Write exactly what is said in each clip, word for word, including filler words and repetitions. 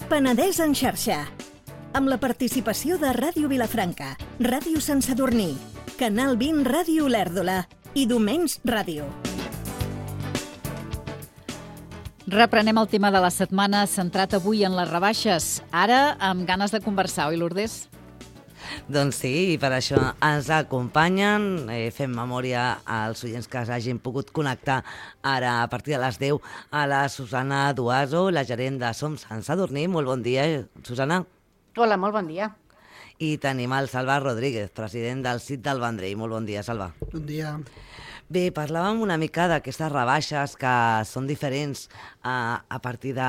Penedès en xarxa, amb la participació de Ràdio Vilafranca, Ràdio Sant Sadurní, Canal vint Ràdio Olèrdola i Domens Ràdio. Reprenem el tema de la setmana centrat avui en les rebaixes. Ara, amb ganes de conversar, oi, Lourdes? Doncs sí, i per això ens acompanyen. Eh, fem memòria als oients que s'hagin pogut connectar ara a partir de les deu a la Susana Duaso, la gerent de Som Sant Sadurní. Molt bon dia, Susana. Hola, molt bon dia. I tenim el Salva Rodríguez, president del C I T del Vendrell. Molt bon dia, Salva. Bon dia. Bé, parlàvem una mica d'aquestes rebaixes que són diferents a, a partir de,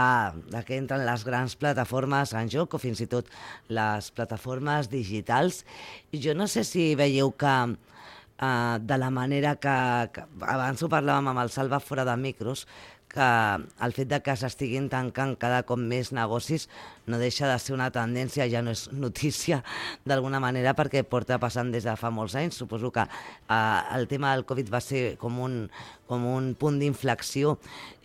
de que entren les grans plataformes en joc o fins i tot les plataformes digitals. Jo no sé si veieu que uh, de la manera que, que abans ho parlàvem amb el Salva fora de micros, que el fet de que s'estiguin tancant cada cop més negocis no deixa de ser una tendència, ja no és notícia d'alguna manera, perquè porta passant des de fa molts anys. Suposo que eh, el tema del Covid va ser com un, com un punt d'inflexió,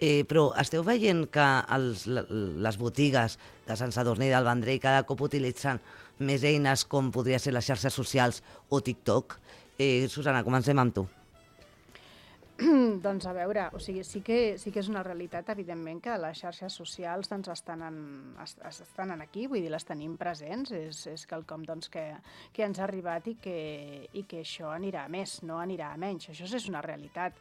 eh, però esteu veient que els, les botigues de Sant Sadurní i del Vendrell cada cop utilitzen més eines com podria ser les xarxes socials o TikTok? Eh, Susana, comencem amb tu. Doncs a veure, o sigui, sí que, sí que és una realitat, evidentment, que les xarxes socials doncs, estan, en, estan en aquí, vull dir, les tenim presents, és, és quelcom doncs, que, que ens ha arribat i que, i que això anirà a més, no anirà a menys, això és una realitat.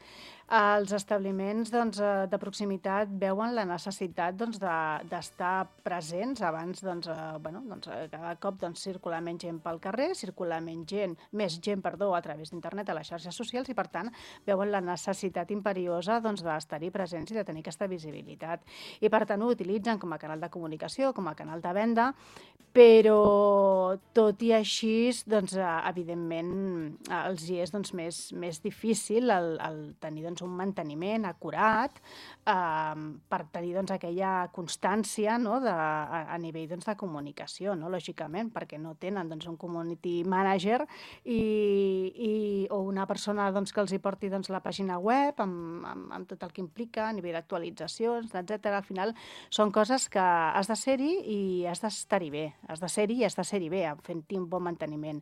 Els establiments doncs, de proximitat veuen la necessitat doncs, d'estar de, presents abans, doncs, eh, bueno, doncs, cada cop doncs, circular menys gent pel carrer, circular menys gent, més gent perdó, a través d'internet a les xarxes socials i, per tant, veuen la necessitat imperiosa doncs, d'estar-hi presents i de tenir aquesta visibilitat. I, per tant, ho utilitzen com a canal de comunicació, com a canal de venda, però tot i així, doncs, evidentment, els hi és doncs, més, més difícil el, el tenir doncs, un manteniment acurat eh, per tenir doncs, aquella constància no, de, a, a nivell doncs, de comunicació, no? Lògicament, perquè no tenen doncs, un community manager i, i, o una persona doncs, que els hi porti doncs, la pàgina web amb, amb, amb tot el que implica a nivell d'actualitzacions, etcètera. Al final són coses que has de ser-hi i has d'estar-hi bé, has de ser-hi i has de ser-hi bé, fent-hi un bon manteniment.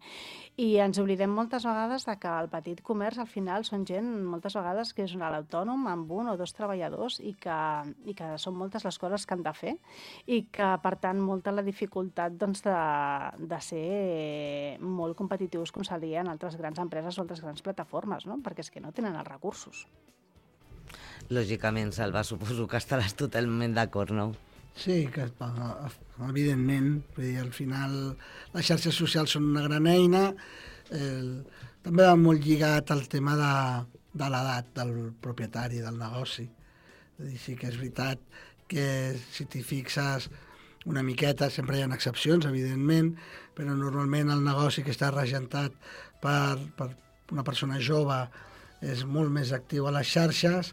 I ens oblidem moltes vegades de que el petit comerç al final són gent moltes vegades que és un alt autònom amb un o dos treballadors i que, i que són moltes les coses que han de fer i que, per tant, molta la dificultat doncs, de, de ser molt competitius com serien altres grans empreses o altres grans plataformes, no? Perquè és que no tenen els recursos. Lògicament, Salva, suposo que estaràs totalment d'acord, no? Sí, que evidentment, vull dir, al final les xarxes socials són una gran eina, eh, també va molt lligat al tema de, de l'edat del propietari del negoci. Sí que és veritat que si t'hi fixes una miqueta, sempre hi ha excepcions, evidentment, però normalment el negoci que està regentat per, per una persona jove és molt més actiu a les xarxes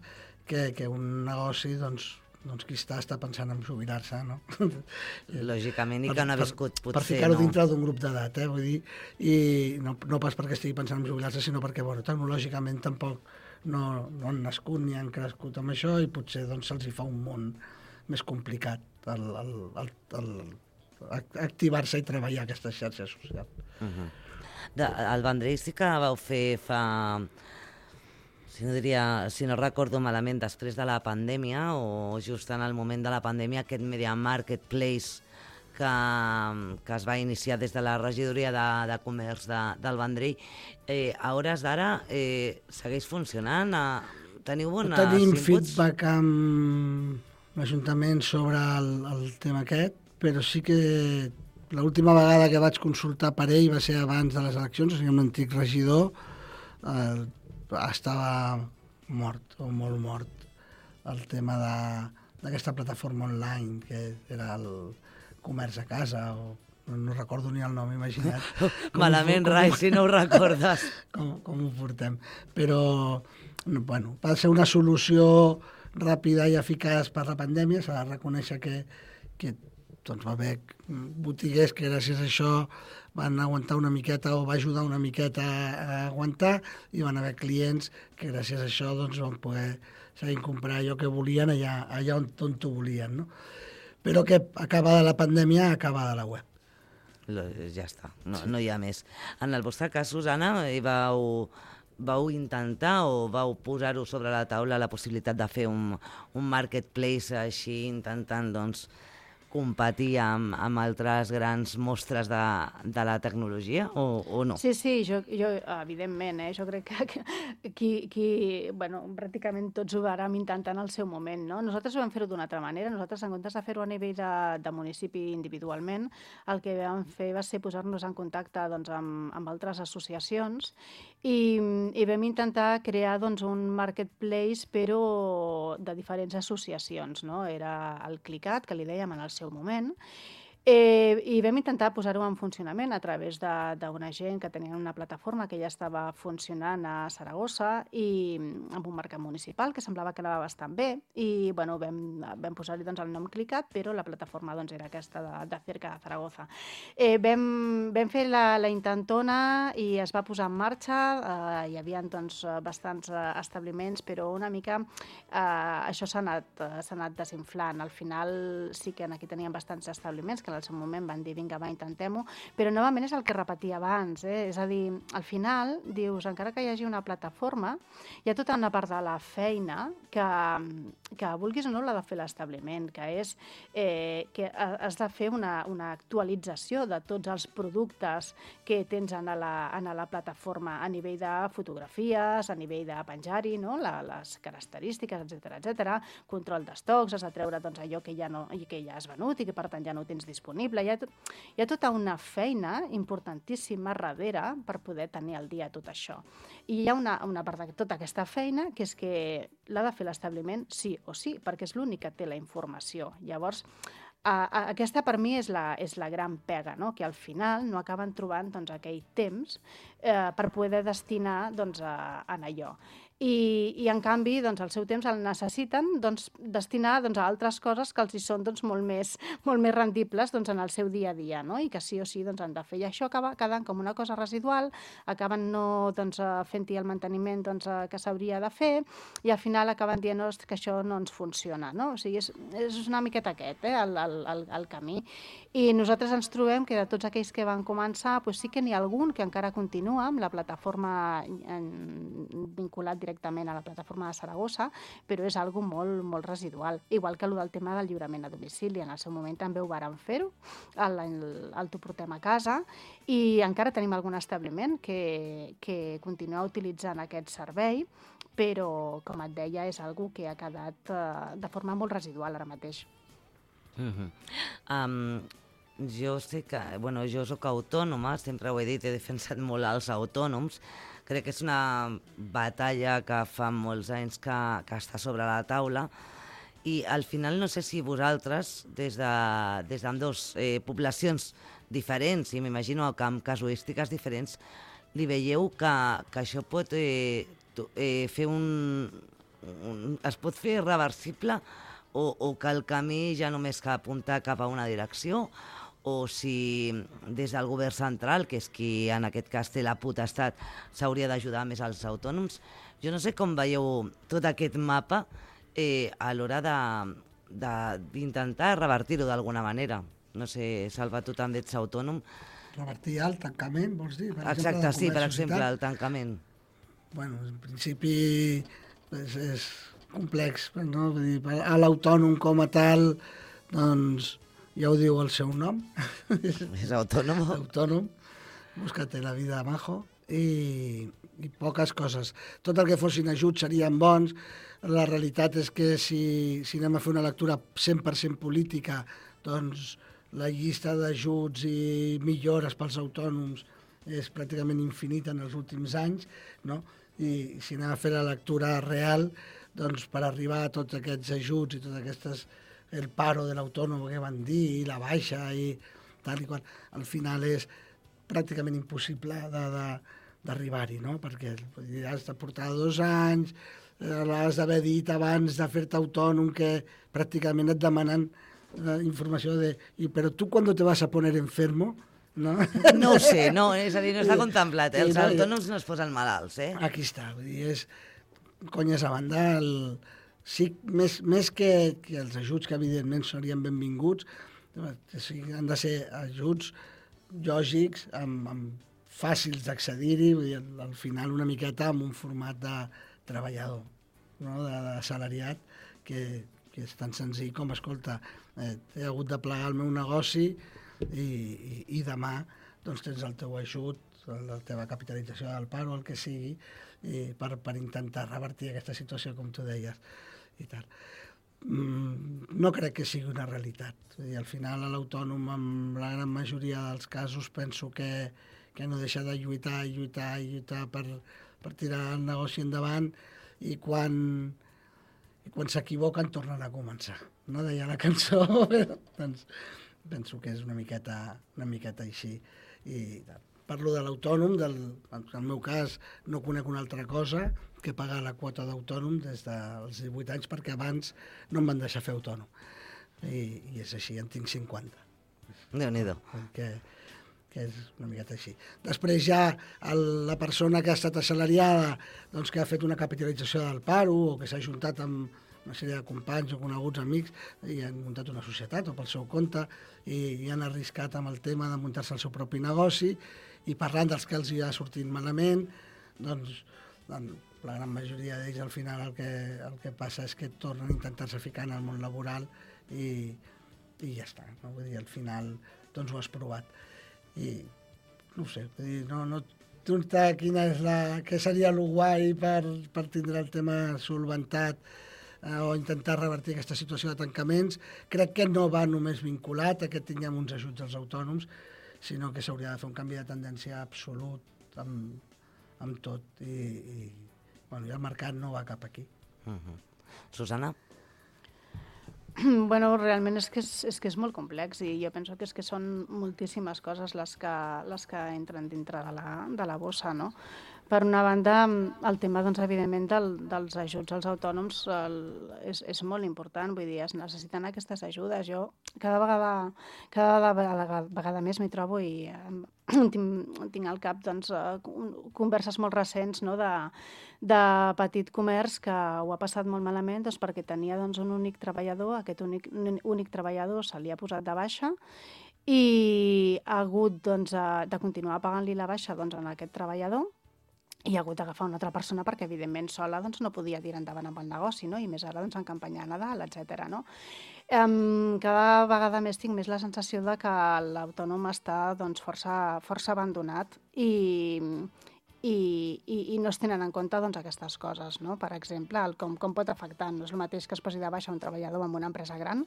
que, que un negoci, doncs, doncs qui està, està pensant en jubilar-se, no? Lògicament, i que no ha viscut, potser, per ficar-ho no? dintre d'un grup d'edat, eh? Vull dir, i no, no pas perquè estigui pensant en jubilar-se, sinó perquè, bueno, tecnològicament tampoc no, no han nascut ni han crescut amb això i potser doncs, se'ls hi fa un món més complicat el, el, el, el, el activar-se i treballar aquestes xarxes socials. Uh-huh. De, al Vendrell sí que vau fer fa... Si no, diria, si no recordo malament, després de la pandèmia o just en el moment de la pandèmia, aquest Media Marketplace que, que es va iniciar des de la regidoria de, de comerç de, del Vendrell, eh, a hores d'ara eh, segueix funcionant? Eh, teniu bones Tenim inputs? feedback amb l'Ajuntament sobre el, el tema aquest, però sí que l'última vegada que vaig consultar per ell va ser abans de les eleccions, o sigui, un antic regidor, eh, estava mort o molt mort el tema d'aquesta plataforma online que era el comerç a casa o no, no recordo ni el nom, imagina't. Malament, com, Rai, com, si no ho recordes. Com, com ho portem. Però, bueno, va ser una solució ràpida i eficaç per la pandèmia. S'ha de reconèixer que, que doncs, va haver botiguers que gràcies a això van aguantar una miqueta o va ajudar una miqueta a aguantar, i van haver clients que gràcies a això doncs, van poder seguir comprar allò que volien allà, allà on, on t'ho volien. No? Però que acabada la pandèmia, acabada la web. Ja està, no, sí. no hi ha més. En el vostre cas, Susana, vau, vau intentar o vau posar-ho sobre la taula la possibilitat de fer un, un marketplace així, intentant doncs, competir amb, amb altres grans mostres de, de la tecnologia o, o no? Sí, sí, jo, jo evidentment, eh, jo crec que, que qui, qui, bueno, pràcticament tots ho vàrem intentar en el seu moment, no? Nosaltres ho vam fer-ho d'una altra manera. Nosaltres, en comptes de fer-ho a nivell de, de municipi individualment, el que vam fer va ser posar-nos en contacte doncs, amb, amb altres associacions i, i vam intentar crear doncs, un marketplace però de diferents associacions, no? Era el Clicat, que li dèiem en el seu moment, eh, i vam intentar posar-ho en funcionament a través d'una gent que tenia una plataforma que ja estava funcionant a Saragossa i amb un mercat municipal que semblava que anava bastant bé i bueno, vam, vam posar-hi doncs, el nom Clicat, però la plataforma doncs, era aquesta de, de Cerca de Zaragoza. Eh, vam, vam fer la, la intentona i es va posar en marxa, eh, hi havia doncs, bastants establiments, però una mica eh, això s'ha anat, s'ha anat desinflant. Al final sí que aquí teníem bastants establiments que en el seu moment van dir vinga, va, intentem-ho, però novament és el que repetia abans, eh? És a dir, al final dius, encara que hi hagi una plataforma, hi ha tota una part de la feina que, que vulguis o no l'ha de fer l'establiment, que és eh, que has de fer una, una actualització de tots els productes que tens en la, en la plataforma a nivell de fotografies, a nivell de penjar-hi, no? la, les característiques, etcètera, etcètera, control d'estocs, has de treure doncs, allò que ja, no, que ja has venut i que per tant ja no tens disponible. Hi ha, tot, hi ha tota una feina importantíssima darrere per poder tenir al dia tot això. I hi ha una, una part de tota aquesta feina que és que l'ha de fer l'establiment sí o sí, perquè és l'únic que té la informació. Llavors, a, a, aquesta per mi és la, és la gran pega, no? Que al final no acaben trobant doncs, aquell temps eh, per poder destinar doncs, a, a allò. I, i en canvi doncs, el seu temps el necessiten doncs, destinar doncs, a altres coses que els hi són doncs, molt, més, molt més rendibles doncs, en el seu dia a dia, no? I que sí o sí doncs, han de fer. I això acaba quedant com una cosa residual, acaben no doncs, fent-hi el manteniment doncs, que s'hauria de fer i al final acaben dient oh, que això no ens funciona, no? O sigui, és, és una miqueta aquest, eh, el, el, el camí. I nosaltres ens trobem que de tots aquells que van començar, doncs sí que n'hi ha algun que encara continua amb la plataforma vinculat directament a la plataforma de Saragossa, però és algo molt, molt residual. Igual que el del tema del lliurament a domicili. En el seu moment també ho vàrem fer-ho, el, el, el t'ho portem a casa, i encara tenim algun establiment que, que continua utilitzant aquest servei, però, com et deia, és algo que ha quedat uh, de forma molt residual ara mateix. Mm-hmm. um, jo sé que, bueno, jo soc autònoma, sempre ho he dit, he defensat molt els autònoms. Crec que és una batalla que fa molts anys que, que està sobre la taula i al final no sé si vosaltres, des de, des d'ambdós eh, poblacions diferents i m'imagino que amb casuístiques diferents, li veieu que, que això pot eh, eh, fer un, un... es pot fer reversible o, o que el camí ja només que apuntar cap a una direcció, o si des del govern central, que és qui en aquest cas té la potestat, s'hauria d'ajudar més als autònoms. Jo no sé com veieu tot aquest mapa eh, a l'hora d'intentar revertir-ho d'alguna manera. No sé, Salva, tu també ets autònom. Revertir el tancament, vols dir? Per Exacte, exemple, sí, per exemple, el tancament. Bueno, en principi és, és complex, no? Vull dir, a l'autònom com a tal, doncs, ja ho diu el seu nom. És autònom. Autònom, búscate la vida majo, i, i poques coses. Tot el que fossin ajuts serien bons. La realitat és que si, si anem a fer una lectura cent per cent política, doncs la llista d'ajuts i millores pels autònoms és pràcticament infinita en els últims anys, no? I si anem a fer la lectura real, doncs per arribar a tots aquests ajuts i totes aquestes el paro de l'autònom que van dir, i la baixa, i tal i qual, al final és pràcticament impossible d'arribar-hi, no? Perquè has de portar dos anys, l'has d'haver dit abans de fer-te autònom, que pràcticament et demanen eh, informació de... I, però tu quan te vas a poner enfermo, no? No ho sé, no, és a dir, no està contemplat, eh? Sí, Els no, autònoms no es posen malalts, eh? Aquí està, vull dir, és... Conyes a banda, el... sí, més, més que, que els ajuts, que evidentment serien benvinguts, sí, han de ser ajuts lògics, amb, amb fàcils d'accedir-hi, vull dir, al final una miqueta amb un format de treballador, no? de, de salariat, que, que és tan senzill com, escolta, eh, he hagut de plegar el meu negoci i, i, i demà doncs, tens el teu ajut, la teva capitalització del paro, el que sigui, i per, per intentar revertir aquesta situació, com tu deies, i tal. Mm, no crec que sigui una realitat. Vull dir, al final, l'autònom, en la gran majoria dels casos, penso que, que no deixa de lluitar i lluitar i lluitar per, per tirar el negoci endavant, i quan, i quan s'equivoquen tornen a començar. No deia la cançó, però doncs, penso que és una miqueta, una miqueta així. I parlo de l'autònom, del, en el meu cas no conec una altra cosa que pagar la quota d'autònom des dels divuit anys, perquè abans no em van deixar fer autònom. I, i és així, en tinc cinquanta. Déu-n'hi-do. Que, que és una miqueta així. Després ja el, la persona que ha estat assalariada, doncs que ha fet una capitalització del paro o que s'ha ajuntat amb una sèrie de companys o coneguts amics i han muntat una societat o pel seu compte i, i han arriscat amb el tema de muntar-se el seu propi negoci, i parlant dels que els hi ha sortit malament, doncs, doncs la gran majoria d'ells al final el que, el que passa és que tornen a intentar-se ficar en el món laboral i, i ja està. No? Vull dir, al final doncs ho has provat. I no ho sé, vull dir, no, no preguntar quina és la, què seria el guai per, per tindre el tema solventat eh, o intentar revertir aquesta situació de tancaments. Crec que no va només vinculat a que tinguem uns ajuts als autònoms, sinó que s'hauria de fer un canvi de tendència absolut amb, amb tot, i, i, bueno, i el mercat no va cap aquí. Uh-huh. Susana? Bueno, realment és que és, és que és molt complex, i jo penso que és que són moltíssimes coses les que, les que entren dintre de la, de la bossa, no? Per una banda, el tema, doncs, evidentment, del, dels ajuts als autònoms el, és, és molt important, vull dir, es necessiten aquestes ajudes. Jo cada vegada, cada vegada, vegada més m'hi trobo i eh, tinc, tinc al cap, doncs, converses molt recents, no?, de, de petit comerç que ho ha passat molt malament, doncs, perquè tenia, doncs, un únic treballador, aquest únic, únic treballador se li ha posat de baixa i ha hagut, doncs, de continuar pagant-li la baixa, doncs, a aquest treballador, i ha hagut d'agafar una altra persona perquè, evidentment, sola doncs, no podia tirar endavant amb el negoci, no? I més ara doncs, en campanya a Nadal, etcètera. No? Um, cada vegada més tinc més la sensació de que l'autònom està doncs, força, força abandonat i, i, i, i no es tenen en compte doncs, aquestes coses. No? Per exemple, el com, com pot afectar. No és el mateix que es posi de baixa un treballador en una empresa gran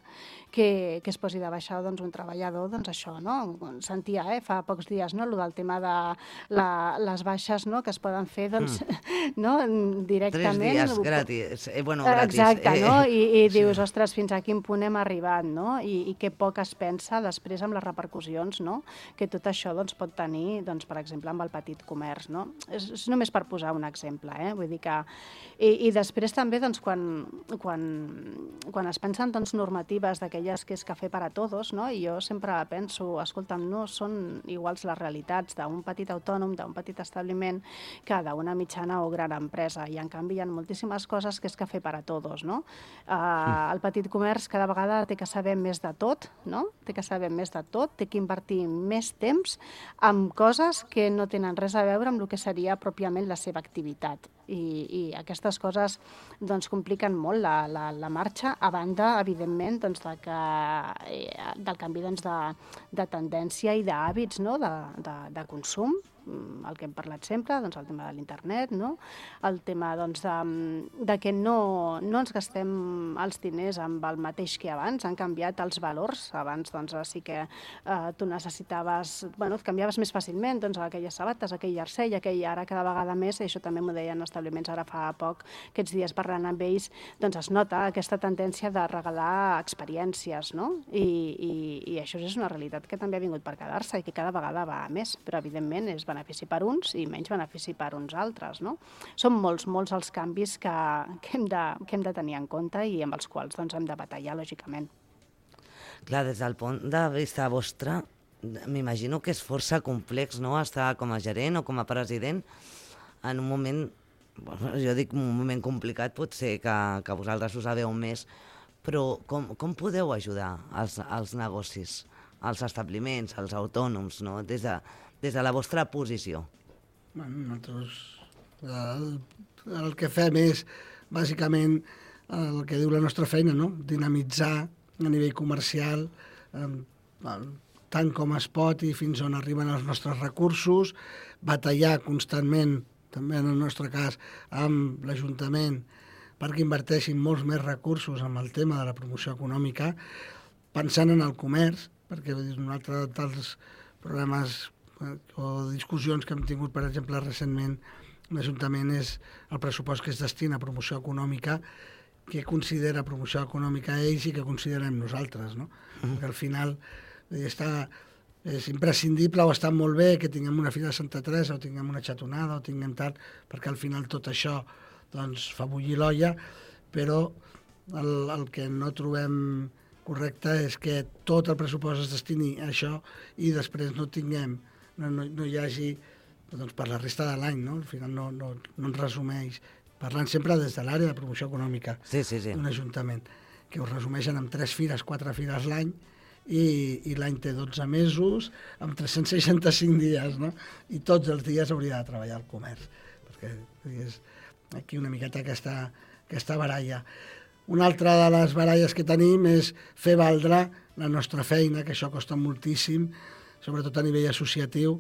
que, que es posi de baixa doncs, un treballador, doncs això, no? Sentia eh, fa pocs dies no? El del tema de la, les baixes no? Que es poden fer doncs, mm. no? directament. Tres dies gratis. Eh, bueno, gratis. Exacte, eh, no? I, i sí. dius, ostres, fins a quin punt hem arribat, no? I, i que poc es pensa després amb les repercussions, no? Que tot això doncs, pot tenir, doncs, per exemple, amb el petit comerç, no? És, és només per posar un exemple, eh? Vull dir que... I, i després també, doncs, quan, quan, quan es pensen doncs, normatives d'aquelles que és cafè per a tots, no? I jo sempre penso, escolta'm, no són iguals les realitats d'un petit autònom, d'un petit establiment, que d'una mitjana o gran empresa. I, en canvi, hi ha moltíssimes coses que és cafè per a tots, no? Uh, el petit comerç cada vegada té que saber més de tot, no? Té que saber més de tot, té que invertir més temps en coses que no tenen res a veure amb el que seria pròpiament la seva activitat. I, i aquestes coses doncs, compliquen molt la, la, la marxa, a banda, evidentment, doncs, de que, eh, del canvi doncs, de, de tendència i d'hàbits no? de, de, de consum, el que hem parlat sempre, doncs, el tema de l'internet, no? El tema doncs, de, de que no, no ens gastem els diners amb el mateix que abans, han canviat els valors. Abans doncs, sí que eh, tu necessitaves, bueno, et canviaves més fàcilment doncs, aquelles sabates, aquell jersei, aquell, ara cada vegada més, i això també m'ho deien establiments ara fa poc, aquests dies parlant amb ells, doncs es nota aquesta tendència de regalar experiències, no? I, i, i això és una realitat que també ha vingut per quedar-se i que cada vegada va a més, però evidentment és benefici per uns i menys benefici per uns altres, no? Són molts, molts els canvis que, que, hem de, que hem de tenir en compte i amb els quals doncs, hem de batallar, lògicament. Clar, des del punt de vista vostre, m'imagino que és força complex, no?, estar com a gerent o com a president en un moment, bueno, jo dic un moment complicat, potser que, que vosaltres ho sabeu més, però com, com podeu ajudar els, els negocis, els establiments, els autònoms, no?, des de, des de la vostra posició? Bueno, nosaltres el, el que fem és, bàsicament, el que diu la nostra feina, no?, dinamitzar a nivell comercial, eh, tant com es pot i fins on arriben els nostres recursos, batallar constantment, també en el nostre cas, amb l'Ajuntament, perquè inverteixin molts més recursos en el tema de la promoció econòmica, pensant en el comerç, perquè un altre dels problemes eh, o discussions que hem tingut, per exemple, recentment, l'Ajuntament és el pressupost que es destina a promoció econòmica, què considera promoció econòmica ells i què considerem nosaltres, no? Mm. Perquè al final està, és imprescindible o està molt bé que tinguem una fira de Santa Teresa o tinguem una xatonada o tinguem tal, perquè al final tot això doncs, fa bullir l'olla, però el, el que no trobem correcte és que tot el pressupost es destini a això i després no tinguem, no, no, no hi hagi doncs, per la resta de l'any, no? Al final no, no, no ens resumeix, parlant sempre des de l'àrea de promoció econòmica sí, sí, sí. d'un ajuntament, que ho resumeixen en tres fires, quatre fires l'any, i, i l'any té dotze mesos, amb tres-cents seixanta-cinc dies, no? I tots els dies hauria de treballar el comerç, perquè és aquí una miqueta aquesta, aquesta baralla. Una altra de les baralles que tenim és fer valdre la nostra feina, que això costa moltíssim, sobretot a nivell associatiu,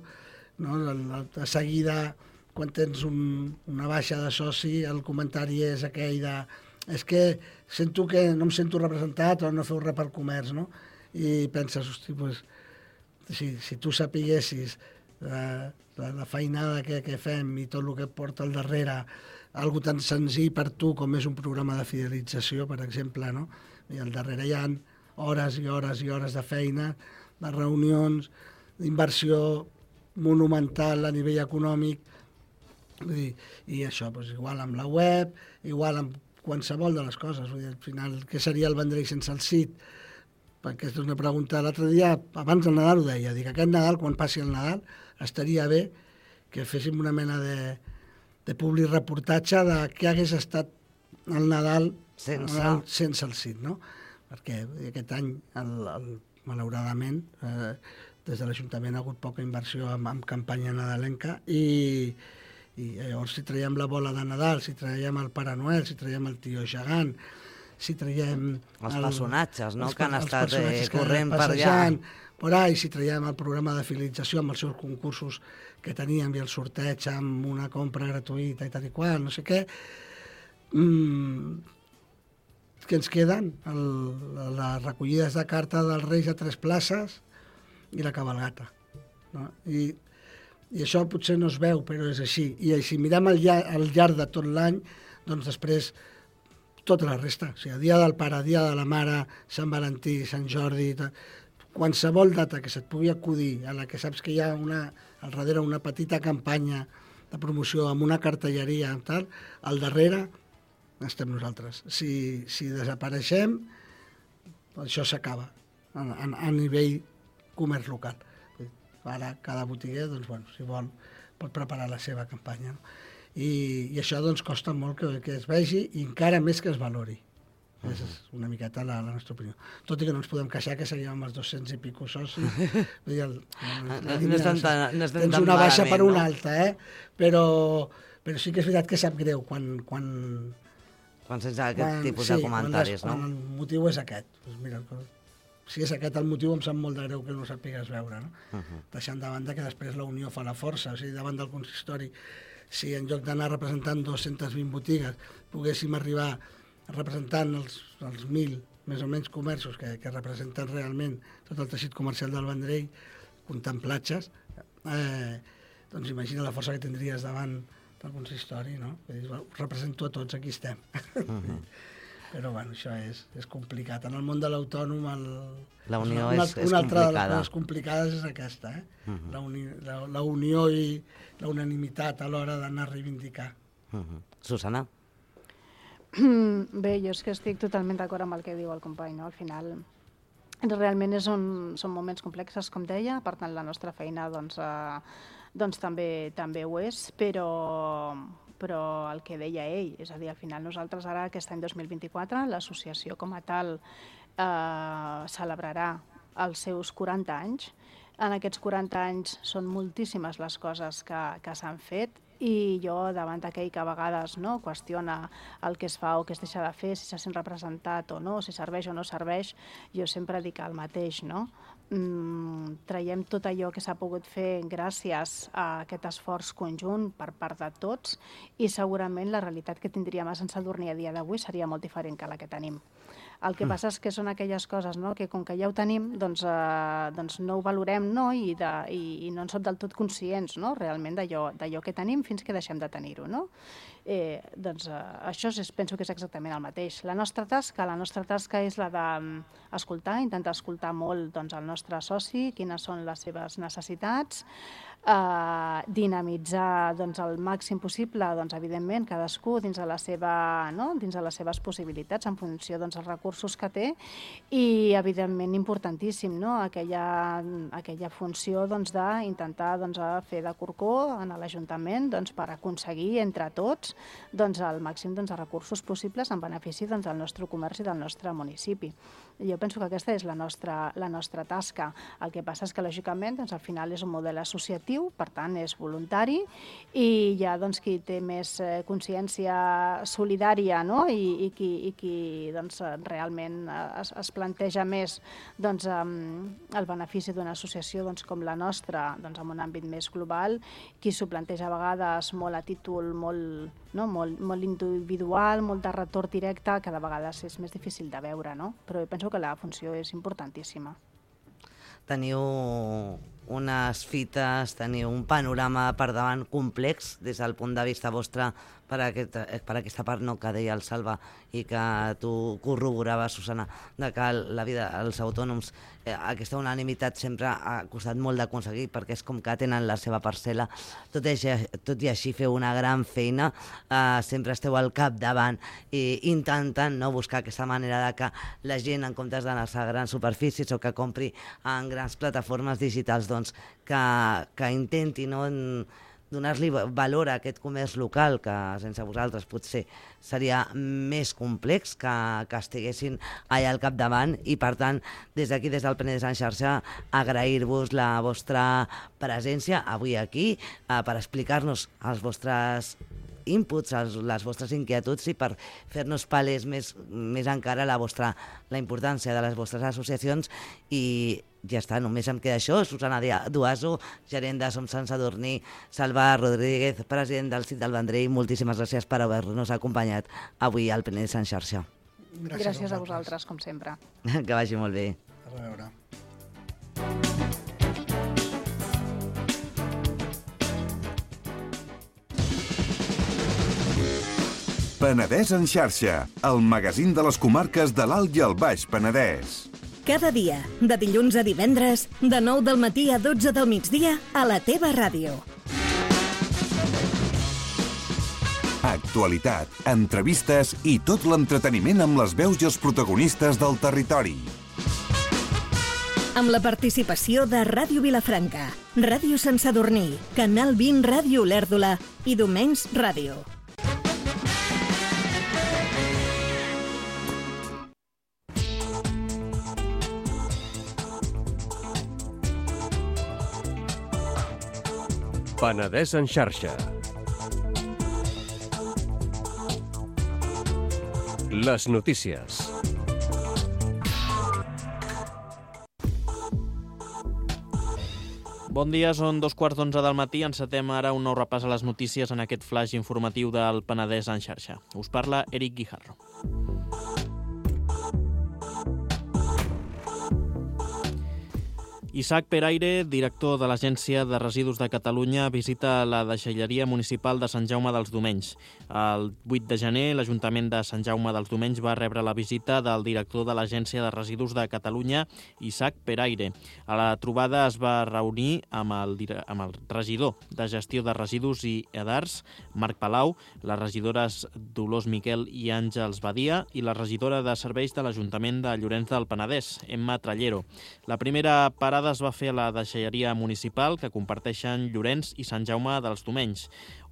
no? De seguida, quan tens un, una baixa de soci, el comentari és aquell de és que sento que no em sento representat o no feu res pel comerç, no? I penses, hosti, pues, si, si tu sapiguessis la, la, la feinada que, que fem i tot el que porta al darrere, algo tan senzill per tu com és un programa de fidelització, per exemple, no? I al darrere hi ha hores i hores i hores de feina, de reunions, d'inversió monumental a nivell econòmic. Vull dir, i això, doncs, igual amb la web, igual amb qualsevol de les coses. Vull dir, al final, què seria el Vendrell sense el sit? Perquè és una pregunta. L'altre dia, abans del Nadal ho deia, dic, aquest Nadal, quan passi el Nadal, estaria bé que féssim una mena de, de publireportatge de què hagués estat el Nadal sense el, sense el sit, no? Perquè aquest any, el, el, malauradament, eh, des de l'Ajuntament ha hagut poca inversió en, en campanya nadalenca i i llavors si traiem la bola de Nadal, si traiem el Pare Noel, si traiem el Tio Gegant, si traiem... Els el, personatges, no?, els, que han estat eh, corrent per allà. per allà. Si traiem el programa de fidelització amb els seus concursos que teníem i el sorteig amb una compra gratuïta i tal i qual, no sé què, mm, què ens queden? El, les recollides de carta dels Reis a tres places i la cabalgata, no? I I això potser no es veu, però és així. I si mirem al llarg, al llarg de tot l'any, doncs després tota la resta. O sigui, dia del pare, dia de la mare, Sant Valentí, Sant Jordi, qualsevol data que se't pugui acudir, a la que saps que hi ha una, al darrere una petita campanya de promoció amb una cartelleria, amb tal, al darrere estem nosaltres. Si, si desapareixem, això s'acaba a, a, a nivell comerç local. Ara cada botiguer, doncs, bueno, si vol, pot preparar la seva campanya. No? I, I això doncs, costa molt que, que es vegi i encara més que es valori. Uh -huh. És una miqueta la, la nostra opinió. Tot i que no ens podem queixar que seguim amb els dos-cents i pico socis. Vull dir, el, el, no, no estan tan, no estan tens tan una baixa malament, per una no? alta, eh? Però, però sí que és veritat que sap greu quan... quan quan sense aquest quan, tipus sí, de comentaris, quan, no? Quan el motiu és aquest. Doncs mira, si és aquest el motiu, em sap molt de greu que no ho sàpigues veure, no? Uh-huh. Deixant de banda que després la unió fa la força, o sigui, davant del consistori, si en lloc d'anar representant dos-centes vint botigues, poguéssim arribar representant els, els mil, més o menys, comerços que, que representen realment tot el teixit comercial del Vendrell, comptant platges, eh, doncs imagina la força que tindries davant del consistori, no? Dir, bueno, represento a tots, aquí estem. Uh-huh. Però bueno, això és, és complicat. En el món de l'autònom el... la unió una, és, és una altra complicada. de les coses complicades és aquesta, eh? Uh -huh. la, uni, la, la unió i la unanimitat a l'hora d'anar a reivindicar. Uh -huh. Susana? Bé, jo és que estic totalment d'acord amb el que diu el company, no? Al final, realment és un, són moments complexes, com deia, per tant la nostra feina doncs, eh, doncs també, també ho és, però, però el que deia ell, és a dir, al final nosaltres ara, aquest any dos mil vint-i-quatre, l'associació com a tal eh, celebrarà els seus quaranta anys. En aquests quaranta anys són moltíssimes les coses que, que s'han fet, i jo, davant d'aquell que a vegades no, qüestiona el que es fa o que es deixa de fer, si se sent representat o no, si serveix o no serveix, jo sempre dic el mateix, no? Mm, traiem tot allò que s'ha pogut fer gràcies a aquest esforç conjunt per part de tots, i segurament la realitat que tindríem a Sant Sadurní a dia d'avui seria molt diferent que la que tenim. El que passa és que són aquelles coses, no?, que com que ja ho tenim, doncs, eh, doncs no ho valorem, no?, I, de, i, i no en som del tot conscients, no?, realment d'allò que tenim fins que deixem de tenir-ho, no? Eh, doncs eh, això és, penso que és exactament el mateix. La nostra tasca, la nostra tasca és la d'escoltar, intentar escoltar molt doncs, el nostre soci, quines són les seves necessitats, eh, dinamitzar doncs, el màxim possible, doncs, evidentment, cadascú dins de, la seva, no? dins de les seves possibilitats, en funció dels doncs, recursos que té, i, evidentment, importantíssim, no? aquella, aquella funció doncs, d'intentar doncs, fer de corcó en l'Ajuntament doncs, per aconseguir, entre tots, doncs, el màxim doncs, de recursos possibles en benefici doncs, del nostre comerç i del nostre municipi. Jo penso que aquesta és la nostra, la nostra tasca. El que passa és que, lògicament, doncs, al final és un model associatiu, per tant, és voluntari, i hi ha doncs, qui té més eh, consciència solidària, no? I, i qui, i qui doncs, realment es, es planteja més doncs, um, el benefici d'una associació doncs, com la nostra, doncs, en un àmbit més global, qui s'ho planteja a vegades molt a títol molt, no? molt, molt individual, molt de retorn directe, que de vegades és més difícil de veure, no? Però jo penso que la funció és importantíssima. Teniu unes fites, teniu un panorama per davant complex des del punt de vista vostre per, aquest, per aquesta part no, que deia el Salva i que tu corroboraves, Susana, de que la vida dels autònoms, eh, aquesta unanimitat sempre ha costat molt d'aconseguir perquè és com que tenen la seva parcel·la. Tot i, tot i així feu una gran feina, eh, sempre esteu al capdavant i intentant no, buscar aquesta manera de que la gent, en comptes d'anar-se a grans superfícies o que compri en grans plataformes digitals, doncs, que, que intenti no, donar-li valor a aquest comerç local, que sense vosaltres potser seria més complex, que, que estiguessin allà al capdavant, i per tant, des d'aquí, des del Penedès en xarxa, agrair-vos la vostra presència avui aquí eh, per explicar-nos els vostres inputs, els, les vostres inquietuds i per fer-nos palès més, més encara la, vostra, la importància de les vostres associacions. I ja està, només em queda això. Susana Duaso, gerent de Som Sant Sadurní, Salva Rodríguez, president del C I T del Vendrell, moltíssimes gràcies per haver-nos acompanyat avui al Penedès en xarxa. Gràcies, gràcies a vosaltres, com sempre. Que vagi molt bé. A veure. Penedès en xarxa, el magazín de les comarques de l'Alt i el Baix Penedès. Cada dia, de dilluns a divendres, de nou del matí a dotze del migdia, a la teva ràdio. Actualitat, entrevistes i tot l'entreteniment amb les veus i els protagonistes del territori. Amb la participació de Ràdio Vilafranca, Ràdio Sant Sadurní, Canal vint Ràdio Olèrdola i Domens Ràdio. Penedès en xarxa. Les notícies. Bon dia, són dos quarts d'onze del matí. Encetem ara un nou repàs a les notícies en aquest flash informatiu del Penedès en xarxa. Us parla Eric Guijarro. Isaac Peraire, director de l'Agència de Residus de Catalunya, visita la deixalleria municipal de Sant Jaume dels Domenys. El vuit de gener, l'Ajuntament de Sant Jaume dels Domenys va rebre la visita del director de l'Agència de Residus de Catalunya, Isaac Peraire. A la trobada es va reunir amb el, amb el regidor de Gestió de Residus i Edars, Marc Palau, les regidores Dolors Miquel i Àngels Badia i la regidora de Serveis de l'Ajuntament de Llorenç del Penedès, Emma Trallero. La primera parada es va fer a la deixalleria municipal que comparteixen Llorenç i Sant Jaume dels Domenys,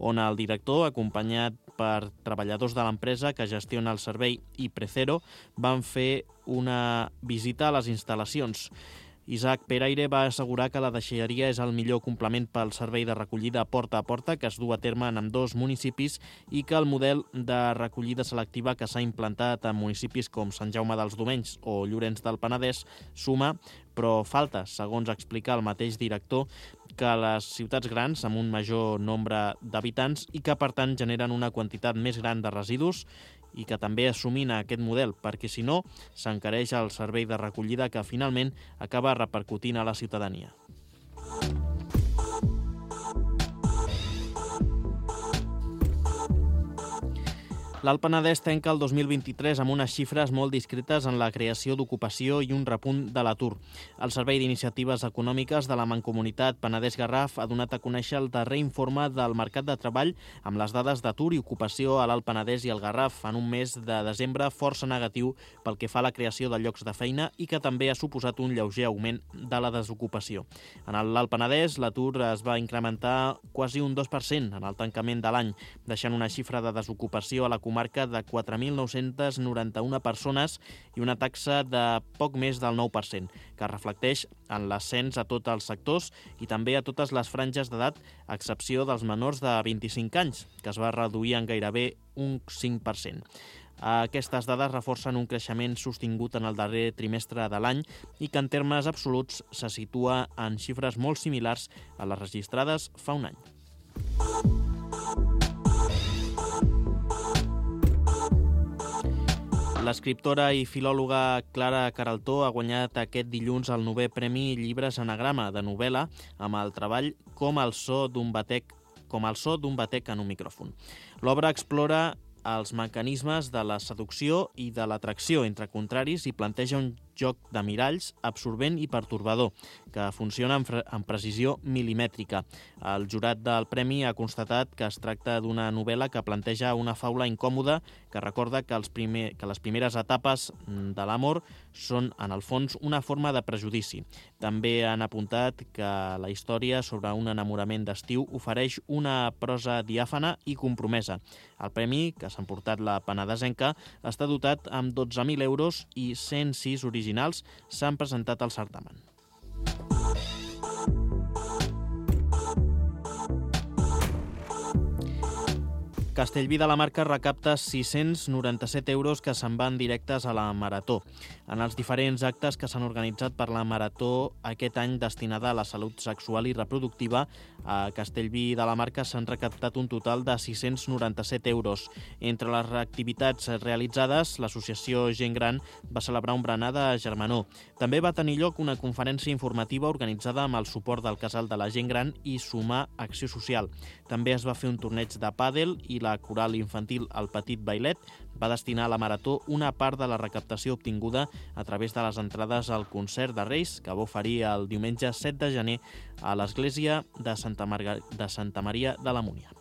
on el director, acompanyat per treballadors de l'empresa que gestiona el servei i Precero, van fer una visita a les instal·lacions. Isaac Peraire va assegurar que la deixalleria és el millor complement pel servei de recollida porta a porta que es du a terme en ambdós municipis i que el model de recollida selectiva que s'ha implantat en municipis com Sant Jaume dels Domenys o Llorenç del Penedès suma, però falta, segons explica el mateix director, que les ciutats grans amb un major nombre d'habitants i que, per tant, generen una quantitat més gran de residus i que també assumin aquest model, perquè si no s'encareix el servei de recollida que finalment acaba repercutint a la ciutadania. L'Alt Penedès tanca el dos mil vint-i-tres amb unes xifres molt discretes en la creació d'ocupació i un repunt de l'atur. El Servei d'Iniciatives Econòmiques de la Mancomunitat Penedès-Garraf ha donat a conèixer el darrer informe del mercat de treball amb les dades d'atur i ocupació a l'Alt Penedès i el Garraf en un mes de desembre força negatiu pel que fa a la creació de llocs de feina i que també ha suposat un lleuger augment de la desocupació. En l'Alt Penedès l'atur es va incrementar quasi un dos per cent en el tancament de l'any, deixant una xifra de desocupació a la comarca de quatre mil nou-cents noranta-una persones i una taxa de poc més del nou per cent, que reflecteix en l'ascens a tots els sectors i també a totes les franges d'edat, a excepció dels menors de vint-i-cinc anys, que es va reduir en gairebé un cinc per cent. Aquestes dades reforcen un creixement sostingut en el darrer trimestre de l'any i que en termes absoluts se situa en xifres molt similars a les registrades fa un any. L'escriptora i filòloga Clara Queraltó ha guanyat aquest dilluns el novè Premi Llibres Anagrama de novel·la amb el treball Com el so d'un batec, com el so d'un batec en un micròfon. L'obra explora els mecanismes de la seducció i de l'atracció entre contraris i planteja un joc de miralls absorbent i pertorbador, que funciona amb, amb precisió milimètrica. El jurat del premi ha constatat que es tracta d'una novel·la que planteja una faula incòmoda que recorda que, els primer, que les primeres etapes de l'amor són, en el fons, una forma de prejudici. També han apuntat que la història sobre un enamorament d'estiu ofereix una prosa diàfana i compromesa. El premi, que s'ha emportat la penedesenca, està dotat amb dotze mil euros i cent sis originals s'han presentat al certamen. Castellví de la Marca recapta sis-cents noranta-set euros que se'n van directes a la Marató. En els diferents actes que s'han organitzat per la Marató aquest any destinada a la salut sexual i reproductiva, a Castellví de la Marca s'han recaptat un total de sis-cents noranta-set euros. Entre les activitats realitzades, l'associació Gent Gran va celebrar un berenar de germanor. També va tenir lloc una conferència informativa organitzada amb el suport del Casal de la Gent Gran i Sumar Acció Social. També es va fer un torneig de pàdel i la coral infantil El Petit Bailet va destinar a la Marató una part de la recaptació obtinguda a través de les entrades al concert de Reis que va oferir el diumenge set de gener a l'església de Santa, Marga... de Santa Maria de la Múnia.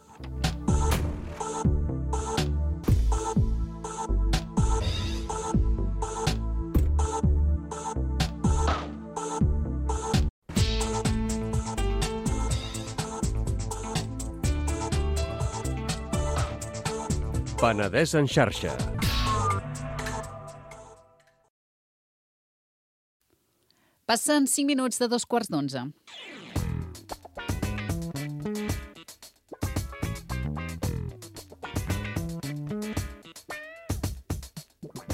Penedès en xarxa. Passen cinc minuts de dos quarts d'onze.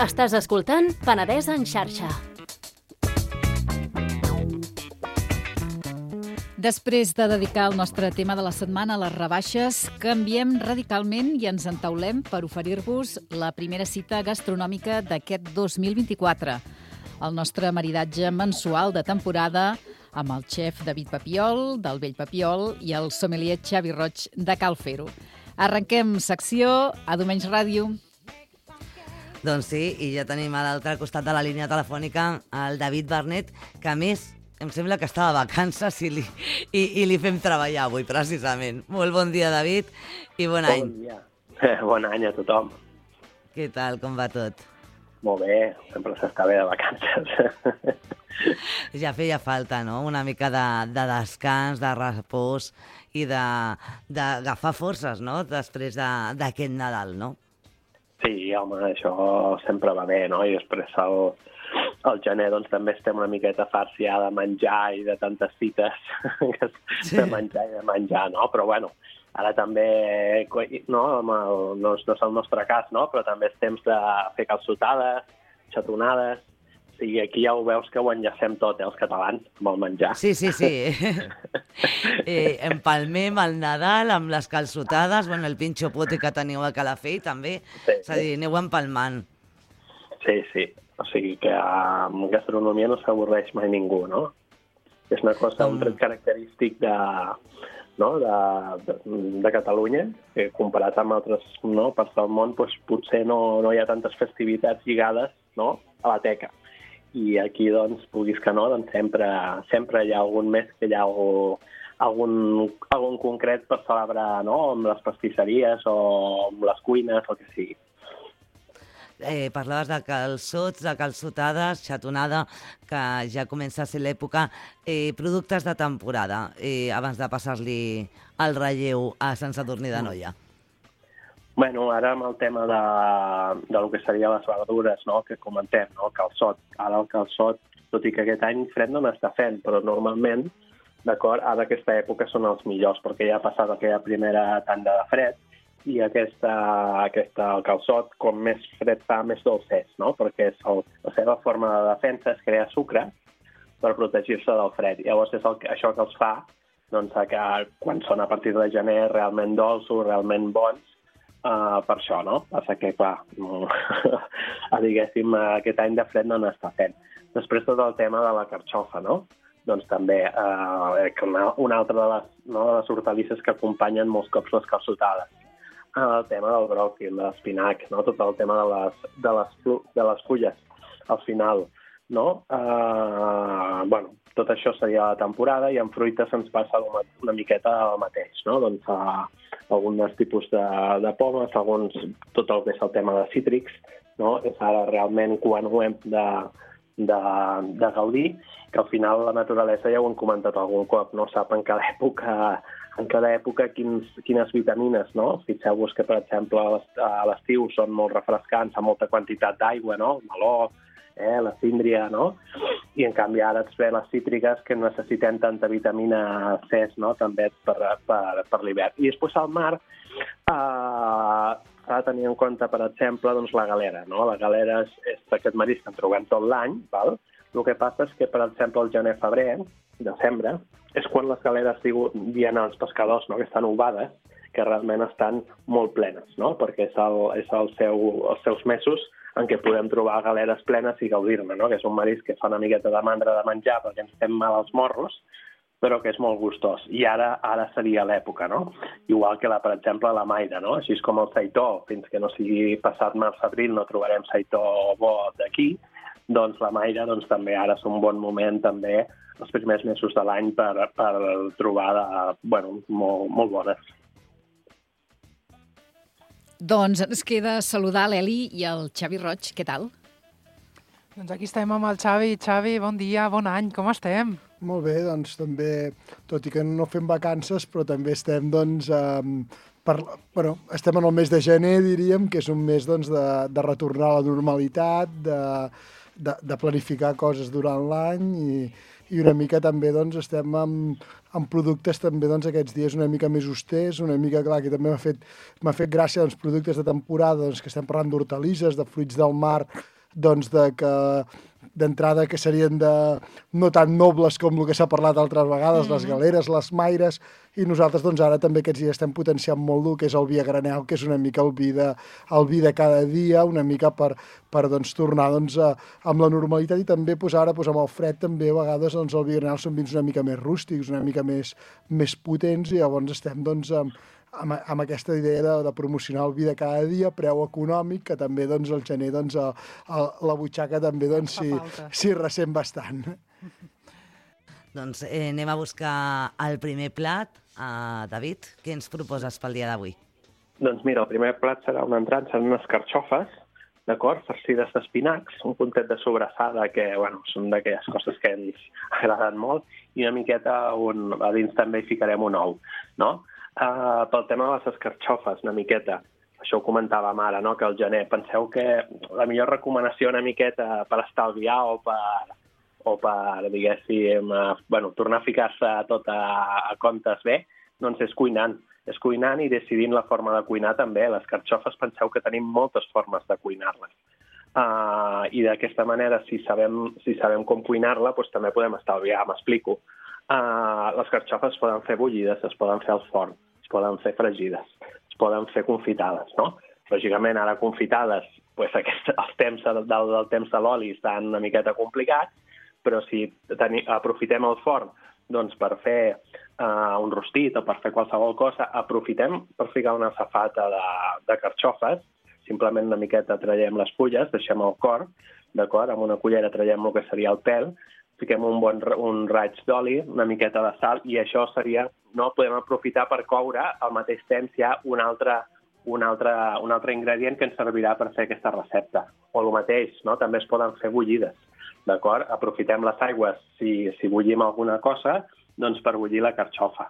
Estàs escoltant Penedès en xarxa. Després de dedicar el nostre tema de la setmana a les rebaixes, canviem radicalment i ens entaulem per oferir-vos la primera cita gastronòmica d'aquest dos mil vint-i-quatre. El nostre maridatge mensual de temporada amb el xef David Papiol, del Vell Papiol, i el sommelier Xavi Roig, de Cal Fer-ho. Arrenquem secció a Domenys Ràdio. Doncs sí, i ja tenim a l'altre costat de la línia telefònica el David Barnet, que a més em sembla que està de vacances i li, i, i li fem treballar avui, precisament. Molt bon dia, David, i bon any. Bon dia. Eh, bon any a tothom. Què tal, com va tot? Molt bé, sempre s'està bé de vacances. Ja feia falta, no?, una mica de, de descans, de repòs i d'agafar forces, no?, després d'aquest de, Nadal, no? Sí, home, això sempre va bé, no? I després el... Al gener doncs, també estem una miqueta farts ja de menjar i de tantes cites sí. de menjar i de menjar, no? Però bueno, ara també, no, el, no, no és el nostre cas, no? Però també és temps de fer calçotades, xatonades. O sigui, aquí ja ho veus que ho enllacem tot, eh, els catalans, amb el menjar. Sí, sí, sí. eh, empalmem el Nadal amb les calçotades, bueno, el pinxo poti que teniu a Calafell també, sí, és a dir, aneu empalmant. Sí, sí. O sigui que amb gastronomia no s'avorreix mai ningú, no? És una cosa, un tret característic de, no, de, de, de Catalunya, que comparat amb altres, no, parts del món, doncs, potser no, no hi ha tantes festivitats lligades, no, a la teca. I aquí, doncs, puguis que no, doncs sempre, sempre hi ha algun mes que hi ha algú, algun, algun concret per celebrar, no?, amb les pastisseries o amb les cuines, o el que sigui. Eh, parlaves de calçots, de calçotades, xatonada, que ja comença a ser l'època, eh, productes de temporada, eh, abans de passar-li el relleu a Sant Sadurní d'Anoia. Bueno, ara amb el tema de, de lo que serien les verdures, no?, que comentem, no?, calçot. Ara el calçot, tot i que aquest any fred no n'està fent, però normalment, d'acord, ara aquesta època són els millors, perquè ja ha passat aquella primera tanda de fred, i aquesta, aquesta, el calçot, com més fred fa, més dolç és, no? Perquè és el, la seva forma de defensa és crear sucre per protegir-se del fred. Llavors és el, això que els fa, doncs, que quan són a partir de gener realment dolços, realment bons, uh, per això, no? Passa que, clar, no, diguéssim, aquest any de fred no n'està fent. Després tot el tema de la carxofa, no? Doncs també uh, una, una altra de les, no, de les hortalisses que acompanyen molts cops les calçotades. El tema del bròquil, de l'espinac, no? Tot el tema de les, de les, de les fulles, al final, no? Uh, bueno, tot això seria la temporada i en fruites ens passa una, una miqueta el mateix, no? Doncs uh, alguns tipus de, de pomes, alguns, tot el que és el tema de cítrics, no? És ara realment quan ho hem de, de, de gaudir, que al final la naturalesa, ja ho hem comentat algun cop, no? Sap en cada època en cada època quins, quines vitamines, no? Fixeu-vos que, per exemple, a l'estiu són molt refrescants, amb molta quantitat d'aigua, no? El meló, eh, la síndria, no? I, en canvi, ara ens ve les cítriques que necessitem tanta vitamina C, no?, també per, per, per l'hivern. I després al mar eh, s'ha de tenir en compte, per exemple, doncs, la galera, no? La galera és, és aquest marisc que en trobem tot l'any, val? El que passa és que, per exemple, el gener-febrer, desembre, és quan les galeres diuen als pescadors, no?, que estan ovades, que realment estan molt plenes, no?, perquè és, el, és el seu, els seus mesos en què podem trobar galeres plenes i gaudir-ne, no?, que és un marisc que fa una miqueta de mandra de menjar perquè ens fem mal als morros, però que és molt gustós. I ara ara seria l'època, no? Igual que, la, per exemple, la maira, no? Així com el seitó, fins que no sigui passat març-abril no trobarem seitó bo d'aquí, doncs la maira doncs, també ara és un bon moment també els primers mesos de l'any per, per trobar de, bueno, molt, molt bones. Doncs ens queda saludar l'Eli i el Xavi Roig. Què tal? Doncs aquí estem amb el Xavi. Xavi, bon dia, bon any, com estem? Molt bé, doncs també, tot i que no fem vacances, però també estem, doncs, eh, per, bueno, estem en el mes de gener, diríem, que és un mes, doncs, de, de retornar a la normalitat, de, de, de planificar coses durant l'any i, i una mica també, doncs, estem amb, amb productes també, doncs, aquests dies una mica més austers, una mica, clar, que també m'ha fet, m'ha fet gràcia, doncs, productes de temporada, doncs, que estem parlant d'hortalisses, de fruits del mar, doncs, de que d'entrada que serien de, no tan nobles com el que s'ha parlat altres vegades, mm-hmm. les galeres, les maires, i nosaltres doncs ara també aquests dies estem potenciant molt el que és el vi a granel, que és una mica el vi de, el vi de cada dia, una mica per, per doncs, tornar doncs, a, amb la normalitat, i també pues, ara pues, amb el fred també a vegades doncs, el vi a granel són vins una mica més rústics, una mica més, més potents, i llavors estem doncs, amb, amb, amb aquesta idea de, de promocionar el vi de cada dia, preu econòmic, que també doncs, al gener doncs, a, a, la butxaca també doncs, s'hi si ressent bastant. Doncs eh, anem a buscar el primer plat. Uh, David, què ens proposes pel dia d'avui? Doncs mira, el primer plat serà un entrant, seran unes carxofes, d'acord, farcides d'espinacs, un puntet de sobrassada, que, bueno, són d'aquelles coses que ens agraden molt, i una miqueta, un, a dins també hi ficarem un ou, no? Uh, pel tema de les escarxofes, una miqueta, això ho comentàvem ara, no?, que al gener, penseu que la millor recomanació una miqueta per estalviar o per... o per, diguéssim, eh, bueno, tornar a ficar-se tot a, a comptes bé, doncs és cuinant. És cuinant i decidint la forma de cuinar també. Les carxofes, penseu que tenim moltes formes de cuinar-les. Uh, I d'aquesta manera, si sabem, si sabem com cuinar-la, doncs també podem estalviar, m'explico. Uh, les carxofes es poden fer bullides, es poden fer al forn, es poden fer fregides, es poden fer confitades, no? Lògicament, ara confitades, doncs aquest, els temps del, del temps de l'oli estan una miqueta complicats, però si teni, aprofitem el forn doncs, per fer uh, un rostit o per fer qualsevol cosa, aprofitem per ficar una safata de, de carxofes, simplement una miqueta traiem les fulles, deixem el cor, d'acord? Amb una cullera traiem el que seria el pèl, fiquem un bon un raig d'oli, una miqueta de sal, i això seria, no podem aprofitar per coure al mateix temps ja un altre, un altre, un altre ingredient que ens servirà per fer aquesta recepta. O el mateix, no? També es poden fer bullides. D'acord? Aprofitem les aigües, si, si bullim alguna cosa, doncs per bullir la carxofa.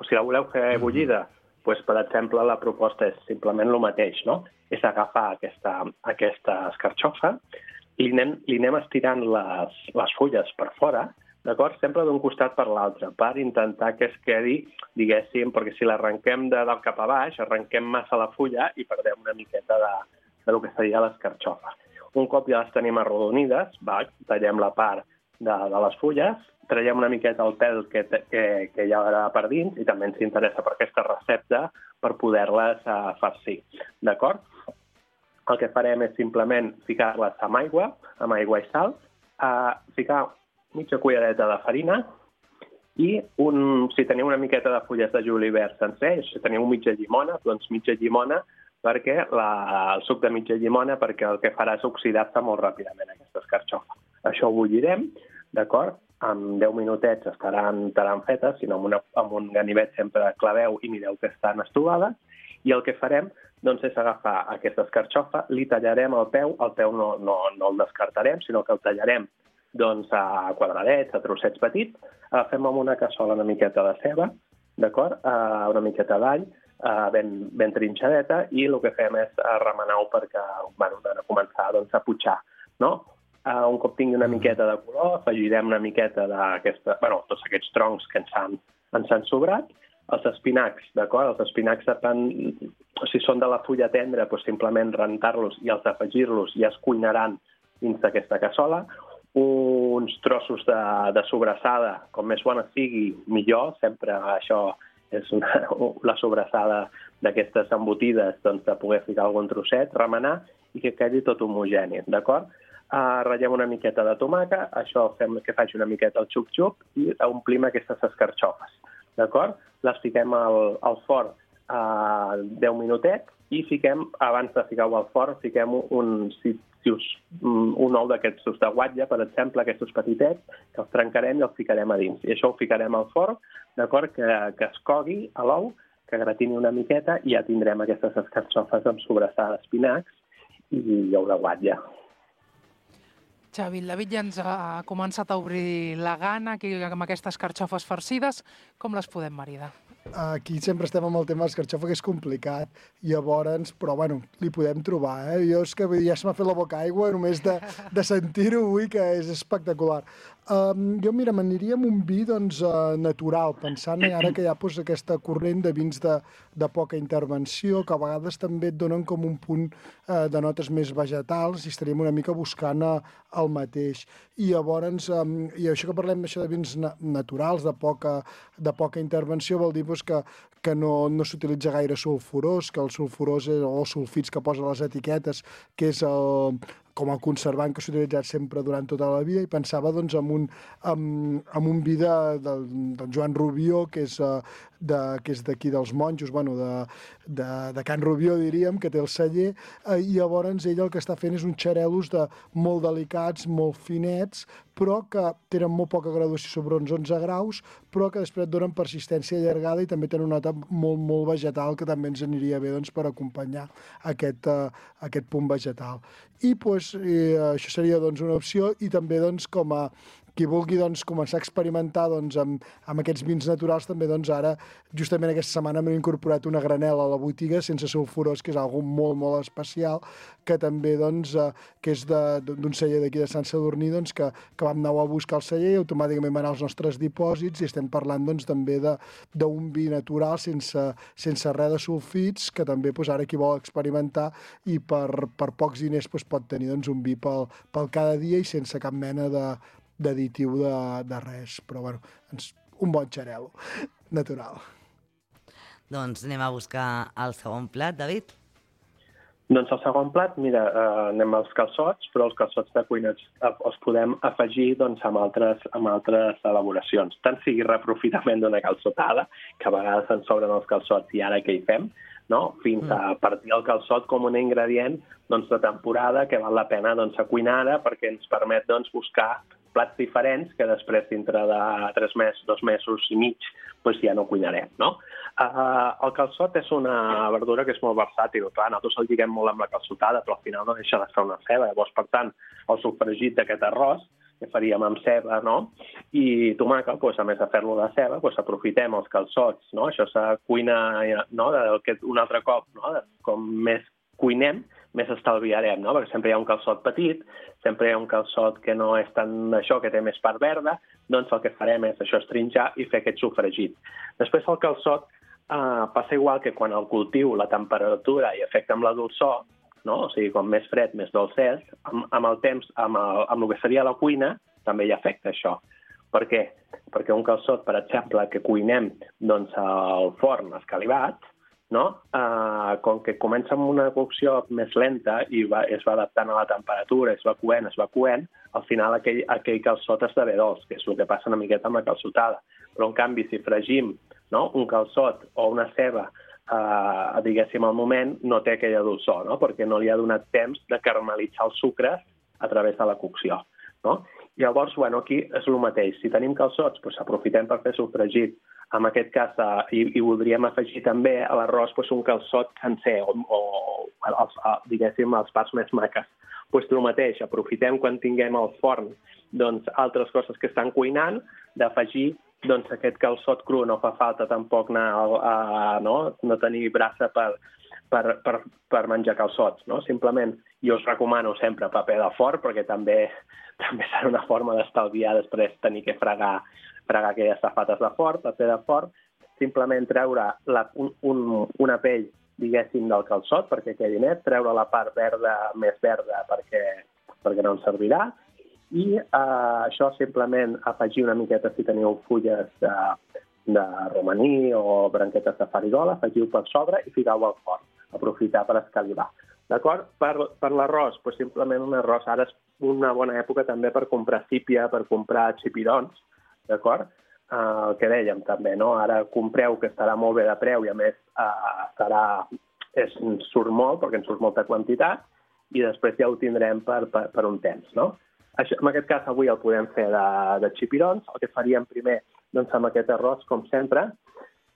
Si la voleu fer bullida, doncs, per exemple, la proposta és simplement el mateix, no? És agafar aquesta, aquesta escarxofa i li anem, li anem estirant les, les fulles per fora, d'acord? Sempre d'un costat per l'altre, per intentar que es quedi, diguéssim, perquè si l'arrenquem de dalt cap a baix, arrenquem massa la fulla i perdem una miqueta de, de lo que seria l'escarxofa. Un cop ja les tenim arrodonides, va, tallem la part de, de les fulles, traiem una miqueta el pèl que, que, que hi ha per dins i també ens interessa per aquesta recepta per poder-les uh, farcir. D'acord? El que farem és simplement ficar-les amb aigua, amb aigua i sal, uh, ficar mitja cullereta de farina i un, si teniu una miqueta de fulles de julivert sencer, si teniu mitja llimona, doncs mitja llimona, perquè la, el suc de mitja llimona, perquè el que farà és oxidar-se molt ràpidament aquesta escarxofa. Això ho bullirem, d'acord? En deu minutets estaran, estaran fetes, sinó amb, una, amb un ganivet sempre claveu i mireu que estan estovades, i el que farem doncs, és agafar aquesta escarxofa, li tallarem el peu, el peu no, no, no el descartarem, sinó que el tallarem doncs, a quadradets, a trossets petits, agafem amb una cassola una miqueta de ceba, d'acord? Una miqueta d'all, Uh, ben, ben trinxadeta, i el que fem és uh, remenar-ho perquè bueno, van a començar doncs, a putxar. No? Uh, un cop tingui una miqueta de color, afegirem una miqueta d'aquesta, bueno, tots aquests troncs que ens han, ens han sobrat, els espinacs, d'acord? Els espinacs, depèn, si són de la fulla tendra, doncs simplement rentar-los i els afegir-los i es cuinaran dins d'aquesta cassola. Uns trossos de, de sobrassada, com més bona sigui, millor, sempre això és una, la sobrassada d'aquestes embotides, doncs, de poder ficar algun trosset, remenar i que quedi tot homogeni, d'acord? Uh, ratllem una miqueta de tomàquet, això fem que faci una miqueta el xup-xup i omplim aquestes escarxofes, d'acord? Les fiquem al, al forn uh, deu minutets i fiquem, abans de ficar-ho al forn, fiquem un, si, si us, un ou d'aquests de guatlla, per exemple, aquests petitets, que els trencarem i els ficarem a dins. I això ho ficarem al forn, d'acord, que, que es cogui a l'ou, que gratini una miqueta i ja tindrem aquestes escarxofes amb sobrassada d'espinacs i ou de guatlla. Xavi, el David ja ens ha començat a obrir la gana aquí amb aquestes carxofes farcides. Com les podem maridar? aquí sempre estem amb el tema de l'escarxofa, que és complicat, llavors, però bueno, li podem trobar, eh? Jo és que ja se m'ha fet la boca aigua només de, de sentir-ho avui, que és espectacular. Um, jo, mira, m'aniria amb un vi doncs, uh, natural, pensant ara que hi ha pues, aquesta corrent de vins de, de poca intervenció, que a vegades també et donen com un punt uh, de notes més vegetals, i estaríem una mica buscant uh, el mateix. I llavors, um, i això que parlem això de vins na naturals, de poca, de poca intervenció, vol dir pues, que, que no, no s'utilitza gaire sulfurós, que el sulfurós és, o sulfits que posa les etiquetes, que és el, com el conservant que s'ha utilitzat sempre durant tota la vida, i pensava doncs, en, un, en, en un vi de, de, del Joan Rubió, que és uh, de, que és d'aquí dels monjos, bueno, de, de, de Can Rubió, diríem, que té el celler, uh, i llavors ell el que està fent és uns xarelos de molt delicats, molt finets, però que tenen molt poca graduació sobre uns onze graus, però que després et donen persistència allargada i també tenen una nota molt, molt vegetal, que també ens aniria bé doncs, per acompanyar aquest, uh, aquest punt vegetal. I pues, eh, això seria doncs, una opció, i també doncs, com a qui vulgui doncs, començar a experimentar doncs, amb, amb aquests vins naturals, també doncs, ara, justament aquesta setmana, m'he incorporat una granel·la a la botiga sense sulfurós, que és algo molt, molt especial, que també doncs, eh, que és d'un celler d'aquí de Sant Sadurní, doncs, que, que vam anar a buscar el celler i automàticament van als nostres dipòsits, i estem parlant doncs, també d'un vi natural sense, sense res de sulfits, que també doncs, ara qui vol experimentar i per, per pocs diners doncs, pot tenir doncs, un vi pel, pel cada dia i sense cap mena de d'additiu de, de res, però bueno, un bon xarel·lo natural. Doncs anem a buscar el segon plat, David. Doncs el segon plat, mira, eh, anem als calçots, però els calçots de cuina els podem afegir doncs, amb, altres, amb altres elaboracions. Tant sigui reprofitament d'una calçotada, que a vegades ens sobren els calçots i ara què hi fem, no? Fins a partir el calçot com un ingredient doncs, de temporada que val la pena doncs, a cuinar ara, perquè ens permet doncs, buscar plats diferents que després, dintre de tres mesos, dos mesos i mig, doncs ja no cuinarem, no? Uh, el calçot és una verdura que és molt versàtil. Clar, nosaltres el lliguem molt amb la calçotada, però al final no deixa de ser una ceba. Llavors, per tant, el sofregit d'aquest arròs que faríem amb ceba, no? I tomàquet, doncs, a més de fer-lo de ceba, doncs aprofitem els calçots, no? Això se cuina, no? De, un altre cop, no? De, com més cuinem, més estalviarem, no? Perquè sempre hi ha un calçot petit, sempre hi ha un calçot que no és tant això, que té més part verda, doncs el que farem és això, estrinjar i fer aquest sofregit. Després el calçot eh, passa igual que quan el cultiu, la temperatura i afecta amb la dolçor, no? O sigui, com més fred, més dolcet, amb, amb el temps, amb el, amb el que seria la cuina, també hi afecta això. Per què? Perquè un calçot, per exemple, que cuinem doncs, al forn escalivat, no? Uh, com que comença amb una cocció més lenta i va, es va adaptant a la temperatura, es va coent, es va coent, al final aquell, aquell calçot esdevé dolç, que és el que passa una miqueta amb la calçotada. Però, en canvi, si fregim, no? Un calçot o una ceba, uh, diguéssim, al moment, no té aquella dolçor, no? Perquè no li ha donat temps de caramelitzar els sucres a través de la cocció, no? Llavors, bueno, aquí és el mateix. Si tenim calçots, doncs aprofitem per fer sofregit. En aquest cas, eh, i, i voldríem afegir també a l'arròs doncs, un calçot sencer, o, o els, diguéssim, les parts més maques. Doncs el mateix, aprofitem quan tinguem al forn doncs, altres coses que estan cuinant, d'afegir doncs, aquest calçot cru. No fa falta tampoc anar a, a, no? no tenir braça per, per, per, per menjar calçots. No? Simplement, jo us recomano sempre paper de forn, perquè també, també serà una forma d'estalviar després tenir que fregar fregar aquelles safates de forn, paper de forn, simplement treure la, un, un, una pell, diguéssim, del calçot perquè quedi net, treure la part verda més verda perquè, perquè no ens servirà, i eh, això simplement afegir una miqueta, si teniu fulles de, de romaní o branquetes de farigola, afegiu per sobre i ficau al forn, aprofitar per escalivar. D'acord? Per, per l'arròs, doncs simplement un arròs. Ara és una bona època també per comprar sípia, per comprar xipirons, d'acord? Eh, el que dèiem també, no? Ara compreu que estarà molt bé de preu i a més eh, estarà, és, ens surt molt perquè ens surt molta quantitat i després ja ho tindrem per, per, per un temps, no? Això, en aquest cas avui el podem fer de, de xipirons. El que faríem primer doncs, amb aquest arròs, com sempre,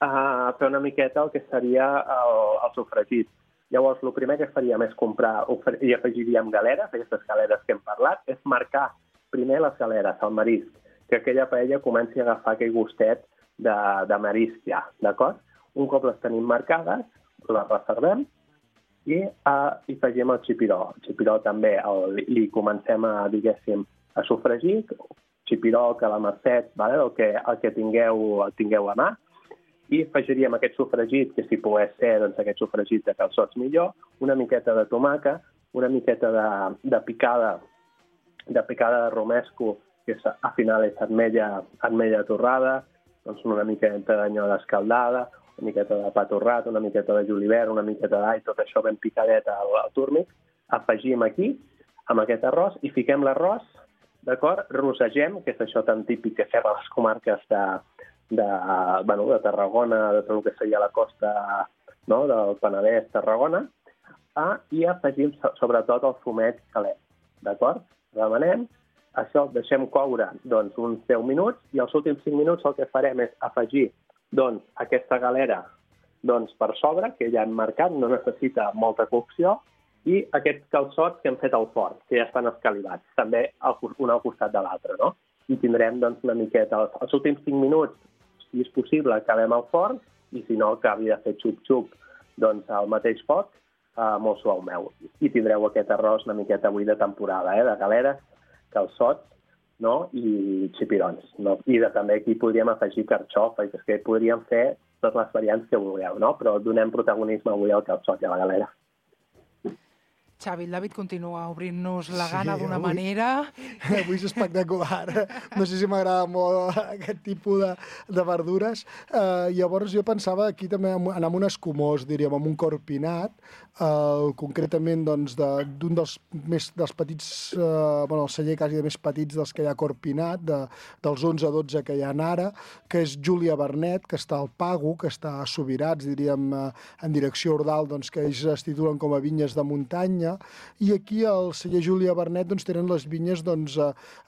eh, fer una miqueta el que seria el, el sofregit. Llavors, el primer que faríem és comprar i afegiríem galeres, aquestes galeres que hem parlat, és marcar primer les galeres, el marisc, que aquella paella comenci a agafar aquell gustet de, de marisc ja, d'acord? Un cop les tenim marcades, les reservem i uh, hi afegim el xipiró. El xipiró també el, li comencem a, diguéssim, a sofregir, xipiró, calamarset, vale? el, que, el que tingueu, el tingueu a mà, i afegiríem aquest sofregit, que si pogués ser doncs, aquest sofregit de calçots millor, una miqueta de tomàquet, una miqueta de, de picada de picada de romesco, que és, al final és ametlla, ametlla torrada, doncs una miqueta d'anyada escaldada, una miqueta de pa torrat, una miqueta de julivert, una miqueta d'all, tot això ben picadet al, al túrmic, afegim aquí, amb aquest arròs, i fiquem l'arròs, d'acord? Rossegem, que és això tan típic que fem a les comarques de, de, bueno, de Tarragona, de tot el que seria la costa, no?, del Penedès, Tarragona, ah, i afegim sobretot el fumet calent, d'acord? Remenem, això el deixem coure doncs, uns deu minuts, i els últims cinc minuts el que farem és afegir doncs, aquesta galera doncs, per sobre, que ja hem marcat, no necessita molta cocció, i aquests calçots que hem fet al forn, que ja estan escalivats, també un al costat de l'altre, no? I tindrem doncs, una miqueta, els, els últims cinc minuts, si és possible, acabem al forn, i si no, acabi de fer xup-xup doncs, al mateix foc, eh, molt suau meu. I tindreu aquest arròs una miqueta avui de temporada, eh, de galeres, calçots, no? I xipirons. No? I de, també aquí podríem afegir carxofa, i és que podríem fer totes les variants que vulgueu, no? Però donem protagonisme avui al calçot i a la galera. Xavi, el David continua obrint-nos la gana sí, d'una avui, manera. Avui és espectacular. No sé si m'agrada molt aquest tipus de, de verdures. Uh, llavors jo pensava aquí també anar amb un escumós, diríem, amb un corpinat, uh, concretament doncs, d'un de, dels més dels petits, uh, bueno, el celler quasi de més petits dels que hi ha corpinat, de, dels onze dotze que hi ha ara, que és Júlia Bernet, que està al Pago, que està a Subirats, diríem, uh, en direcció Ordal, doncs, que ells es titulen com a vinyes de muntanya, i aquí al celler Júlia Bernet doncs, tenen les vinyes doncs,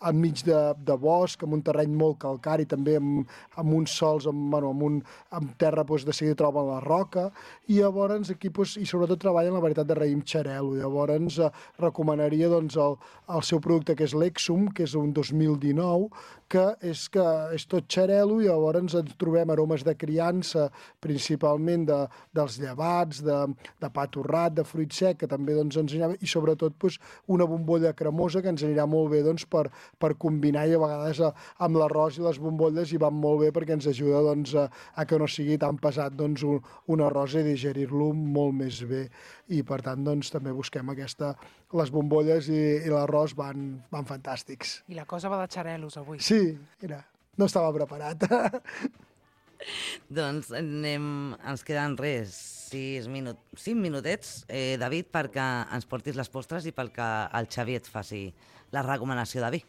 enmig de, de bosc, amb un terreny molt calcari, també amb, amb uns sols, amb, bueno, amb, un, amb terra doncs, de seguida troben la roca, i llavors aquí doncs, i sobretot treballen la varietat de raïm xarel·lo. Llavors eh, recomanaria doncs, el, el seu producte, que és l'Exum, que és un dos mil dinou, que és, que és tot xarel·lo, i llavors ens trobem aromes de criança, principalment de, dels llevats, de, de pa torrat, de fruit sec, que també doncs, ens anirà bé, i sobretot doncs, una bombolla cremosa que ens anirà molt bé doncs, per, per combinar, i a vegades a, amb l'arròs i les bombolles hi van molt bé perquè ens ajuda doncs, a, a que no sigui tan pesat doncs, un, un arròs i digerir-lo molt més bé. I per tant doncs, també busquem aquesta... Les bombolles i, i l'arròs van, van fantàstics. I la cosa va de xarel·los avui. Sí, mira, no estava preparat. Doncs anem, ens queden res, sis minut, cinc minutets, eh, David, perquè ens portis les postres i perquè el Xavi et faci la recomanació de vi.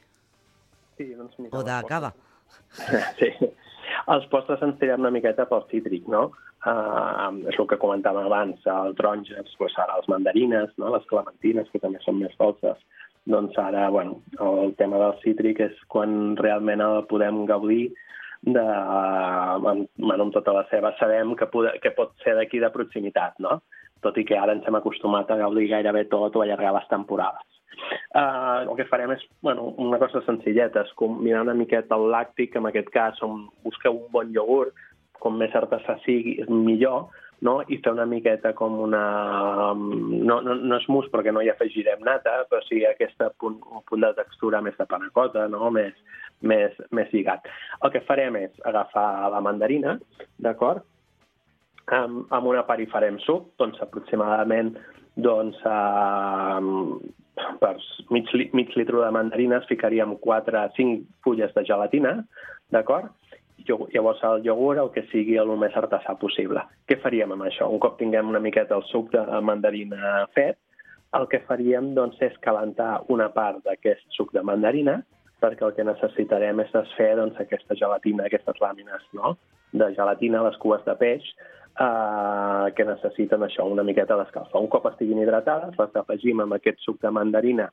Sí, doncs mira, o de cava. Sí, els postres ens tirem una miqueta pel cítric, no? Uh, és el que comentàvem abans, el taronges, doncs ara les mandarines, no? Les clementines, que també són més dolces. Doncs ara, bueno, el tema del cítric és quan realment el podem gaudir de, amb, amb tota la seva, sabem que, pod que pot ser d'aquí de proximitat, no? Tot i que ara ens hem acostumat a gaudir gairebé tot o allargar les temporades. Uh, el que farem és bueno, una cosa senzilleta, és combinar una miqueta el làctic, en aquest cas on busqueu un bon iogurt, com més artesà sigui, és millor, no? I fer una miqueta com una... No, no, no és mousse perquè no hi afegirem nata, però sí aquesta punt, un punt de textura més de panacota, no? més, més, més lligat. El que farem és agafar la mandarina, d'acord? Amb, amb una part hi farem suc, doncs aproximadament doncs, uh, per mig, mig litre de mandarines ficaríem quatre a cinc fulles de gelatina, d'acord? Llavors el iogurt el que sigui el més artesà possible. Què faríem amb això? Un cop tinguem una miqueta el suc de mandarina fet, el que faríem doncs, és calentar una part d'aquest suc de mandarina, perquè el que necessitarem és desfer doncs, aquesta gelatina, aquestes làmines, no? De gelatina, les cues de peix, eh, que necessiten això, una miqueta d'escalfa. Un cop estiguin hidratades, les afegim amb aquest suc de mandarina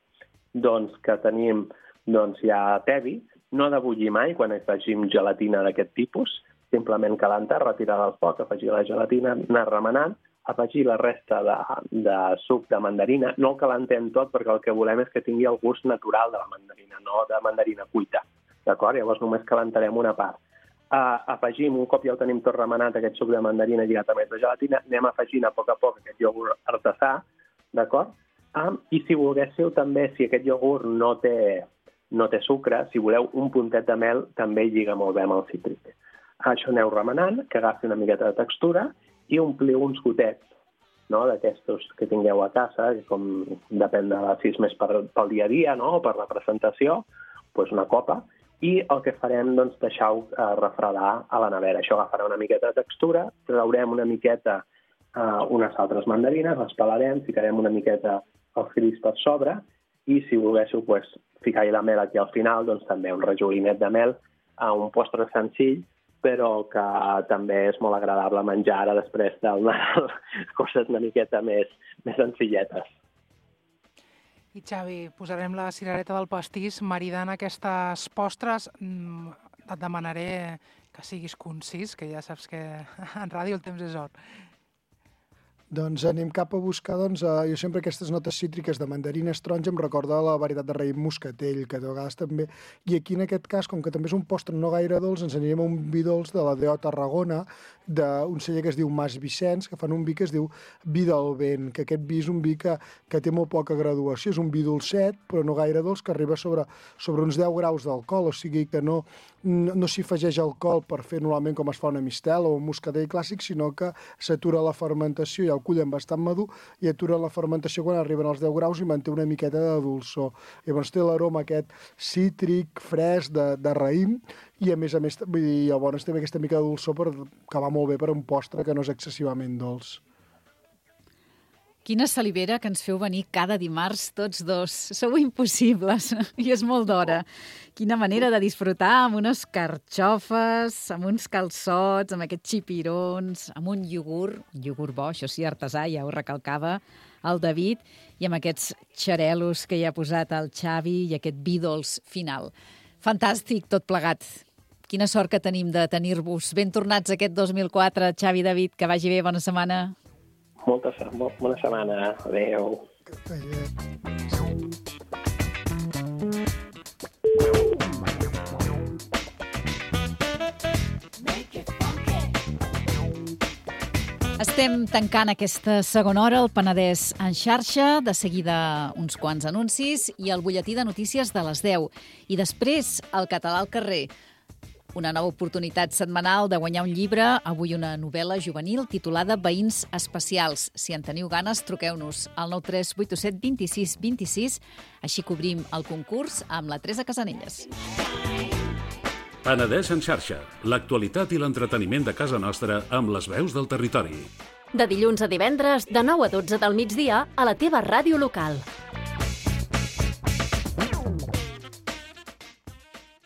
doncs, que tenim doncs, ja tevi. No ha de bullir mai quan afegim gelatina d'aquest tipus, simplement calentar, retirar del foc, afegir la gelatina, anar remenant, afegir la resta de, de suc de mandarina. No el calentem tot perquè el que volem és que tingui el gust natural de la mandarina, no de mandarina cuita. D'acord? Llavors només calentarem una part. Uh, afegim, un cop ja ho tenim tot remenat, aquest suc de mandarina lligat a més de gelatina, anem afegint a poc a poc aquest iogurt artesà, d'acord? Um, I si volguéssiu també, si aquest iogurt no té, no té sucre, si voleu un puntet de mel, també lliga molt bé amb el cítric. Això aneu remenant, que agafi una miqueta de textura i ompliu uns gotets, no?, d'aquestos que tingueu a casa, que com depèn de si és més per, pel dia a dia, no?, o per la presentació, doncs una copa, i el que farem, doncs, deixar-ho eh, refredar a la nevera. Això agafarà una miqueta de textura, traurem una miqueta eh, unes altres mandarines, les pelarem, ficarem una miqueta els grills per sobre, i si volguéssiu pues, ficar-hi la mel aquí al final, doncs també un rajolinet de mel, a un postre senzill, però que també és molt agradable menjar ara després del Nadal, coses una miqueta més, més senzilletes. I Xavi, posarem la cirereta del pastís maridant aquestes postres. Et demanaré que siguis concís, que ja saps que en ràdio el temps és or. Doncs anem cap a buscar, doncs, uh, jo sempre aquestes notes cítriques de mandarines taronja em recorda la varietat de raïm moscatell, que de vegades també... I aquí, en aquest cas, com que també és un postre no gaire dolç, ens anirem a un vi dolç de la D O Tarragona, d'un celler que es diu Mas Vicenç, que fan un vi que es diu Vi del Vent, que aquest vi és un vi que, que té molt poca graduació, és un vi dolcet, però no gaire dolç, que arriba sobre, sobre uns deu graus d'alcohol, o sigui que no, no, no s'hi afegeix alcohol per fer normalment com es fa una mistela o un moscatell clàssic, sinó que s'atura la fermentació i el cullen bastant madur i atura la fermentació quan arriben als deu graus i manté una miqueta de dolçor. Llavors té l'aroma aquest cítric, fresc, de, de raïm, i a més a més, vull dir, llavors té aquesta mica de dolçor per, que va molt bé per un postre que no és excessivament dolç. Quina salivera que ens feu venir cada dimarts tots dos. Sou impossibles i és molt d'hora. Quina manera de disfrutar amb unes carxofes, amb uns calçots, amb aquests xipirons, amb un iogurt, un iogurt bo, això sí, artesà, ja ho recalcava el David, i amb aquests xarelos que hi ha posat el Xavi i aquest vi dolç final. Fantàstic tot plegat. Quina sort que tenim de tenir-vos ben tornats aquest dos mil quatre. Xavi, David, que vagi bé, bona setmana. Molta, bona setmana. Adéu. Estem tancant aquesta segona hora, el Penedès en xarxa, de seguida uns quants anuncis i el butlletí de notícies de les deu. I després, el català al carrer. Una nova oportunitat setmanal de guanyar un llibre, avui una novel·la juvenil titulada Veïns especials. Si en teniu ganes, truqueu-nos al nou tres vuit set dos sis dos sis, així cobrim el concurs amb la Teresa Casanelles. Penedès en xarxa, l'actualitat i l'entreteniment de casa nostra amb les veus del territori. De dilluns a divendres, de nou a dotze del migdia, a la teva ràdio local.